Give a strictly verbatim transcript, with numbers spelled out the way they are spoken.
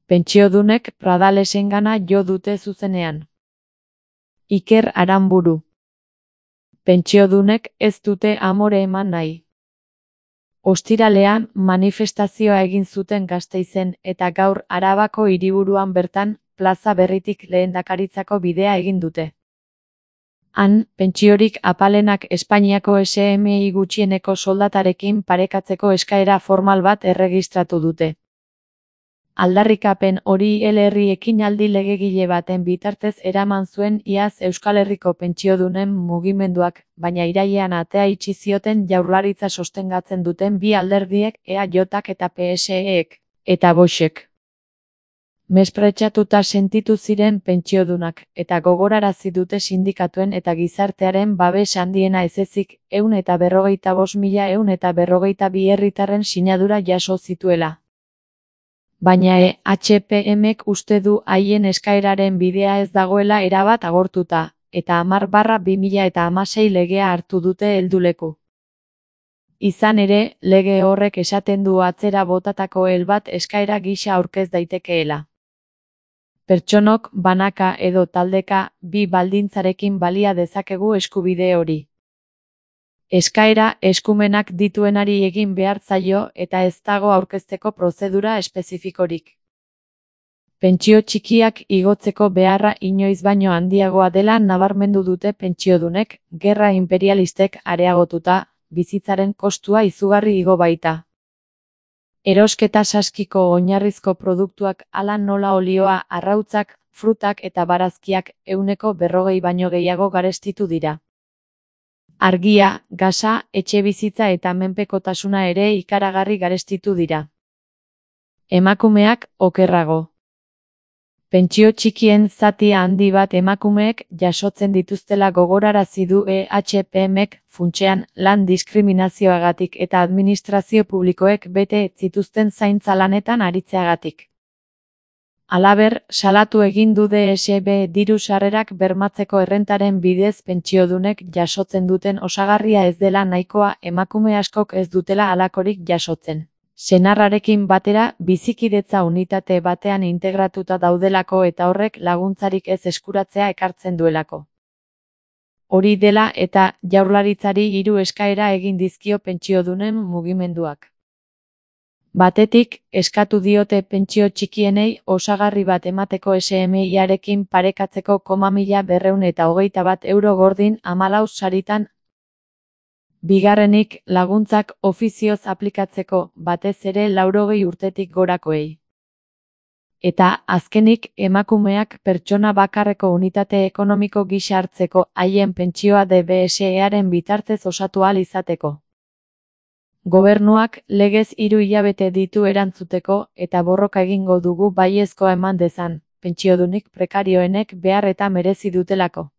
Pentsiodunek Pradalesengana jo dute zuzenean. Iker Aranburu. Pentsiodunek ez dute amore eman nahi. Ostiralean manifestazioa egin zuten Gasteizen eta gaur Arabako hiriburuan bertan plaza berritik lehendakaritzako bidea egin dute. Han, pentsiorik apalenak Espainiako S M I gutxieneko soldatarekin parekatzeko eskaera formal bat erregistratu dute. Aldarrikapen hori L-herri ekinaldi legegile baten bitartez eraman zuen iaz Euskal Herriko pentsiodunen mugimenduak, baina irailean atea itxi zioten Jaurlaritza sostengatzen duten bi alderdiek E A Jk eta P S Ek, eta Voxek. Mespretxatuta sentitu ziren pentsiodunak, eta gogorarazi dute sindikatuen eta gizartearen babes handiena ezezik, ehun eta berrogeita bost mila ehun eta berrogeita bi herritarren sinadura jaso zituela. Baina E H P Mek uste du haien eskaeraren bidea ez dagoela erabat agortuta, eta hamar barra bi mila hamasei legea hartu dute helduleku. Izan ere, lege horrek esaten du atzera botatako el bat eskaera gisa aurkez daitekeela. Pertsonok, banaka edo taldeka, bi baldintzarekin balia dezakegu eskubide hori. Eskaera eskumenak dituenari egin behar zaio eta ez dago aurkezteko prozedura espezifikorik. Pentsio txikiak igotzeko beharra inoiz baino handiagoa dela nabarmendu dute pentsiodunek, gerra imperialistek areagotuta, bizitzaren kostua izugarri igo baita. Erosketa saskiko oinarrizko produktuak hala nola olioa, arrautzak, frutak eta barazkiak ehuneko berrogei baino gehiago garestitu dira. Argia, gasa, etxebizitza eta menpekotasuna ere ikaragarri garestitu dira. Emakumeak okerrago. Pentsio txikien zati handi bat emakumeek jasotzen dituztela gogorarazi du E H P Mek, funtsean, lan diskriminazioagatik eta administrazio publikoek bete ez zituzten zaintza lanetan aritzeagatik. Halaber, salatu egin du D S B diru sarrerak bermatzeko errentaren bidez pentsiodunek jasotzen duten osagarria ez dela nahikoa, emakume askok ez dutela halakorik jasotzen. Senarrarekin batera bizikidetza unitate batean integratuta daudelako eta horrek laguntzarik ez eskuratzea ekartzen duelako. Hori dela eta Jaurlaritzari hiru eskaera egin dizkio pentsiodunen mugimenduak. Batetik, eskatu diote pentsio txikienei osagarri bat emateko S M I-arekin parekatzeko koma mila berrehun eta hogeita bat euro gordin hamalau saritan. Bigarrenik, laguntzak ofizioz aplikatzeko, batez ere laurogei urtetik gorakoei. Eta, azkenik, emakumeak pertsona bakarreko unitate ekonomiko gisa hartzeko haien pentsioa D B S E-aren bitartez osatu ahal izateko. Gobernuak legez hiru hilabete ditu erantzuteko eta borroka egingo dugu baiezkoa eman dezan, pentsiodunik prekarioenek behar eta merezi dutelako.